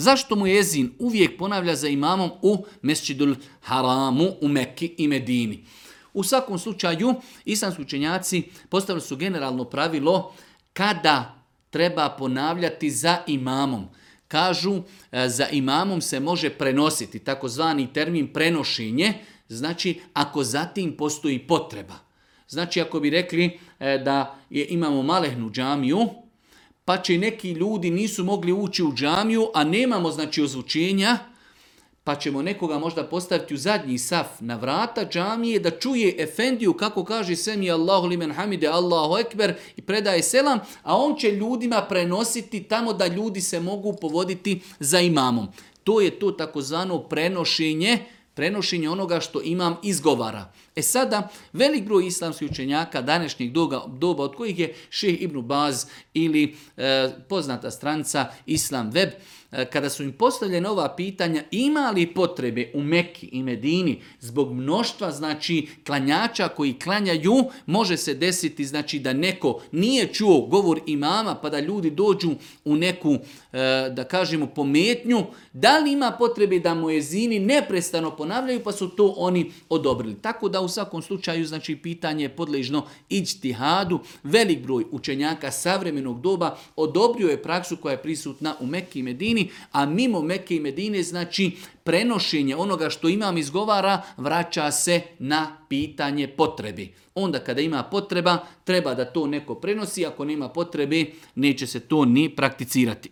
Zašto mu ezin uvijek ponavlja za imamom u Mesdžidul Haramu, u Mekki i Medini? U svakom slučaju, islamski učenjaci postavili su generalno pravilo kada treba ponavljati za imamom. Kažu, za imamom se može prenositi, takozvani termin prenošenje, znači ako zatim postoji potreba. Znači ako bi rekli da imamo malehnu džamiju, pa će neki ljudi nisu mogli ući u džamiju, a nemamo znači ozvučenja, pa ćemo nekoga možda postaviti u zadnji saf na vrata džamije da čuje efendiju kako kaže semi Allahu limen hamide, Allahu ekber i predaje selam, a on će ljudima prenositi tamo da ljudi se mogu povoditi za imamom. To je to takozvano prenošenje onoga što imam izgovara. Sada, velik broj islamskih učenjaka današnjeg doba, od kojih je Šejh Ibn Baz ili poznata stranca Islam Web, kada su im postavljene ova pitanja, ima li potrebe u Mekki i Medini zbog mnoštva znači klanjača koji klanjaju, može se desiti znači da neko nije čuo govor imama pa da ljudi dođu u neku da kažemo pometnju, da li ima potrebe da muezini neprestano ponavljaju pa su to oni odobrili. Tako da u svakom slučaju znači pitanje je podležno iđtihadu. Velik broj učenjaka savremenog doba odobrio je praksu koja je prisutna u Mekki i Medini, a mimo Mekke i Medine znači prenošenje onoga što imam izgovara vraća se na pitanje potrebi. Onda kada ima potreba, treba da to neko prenosi, ako nema potrebe, neće se to ni prakticirati.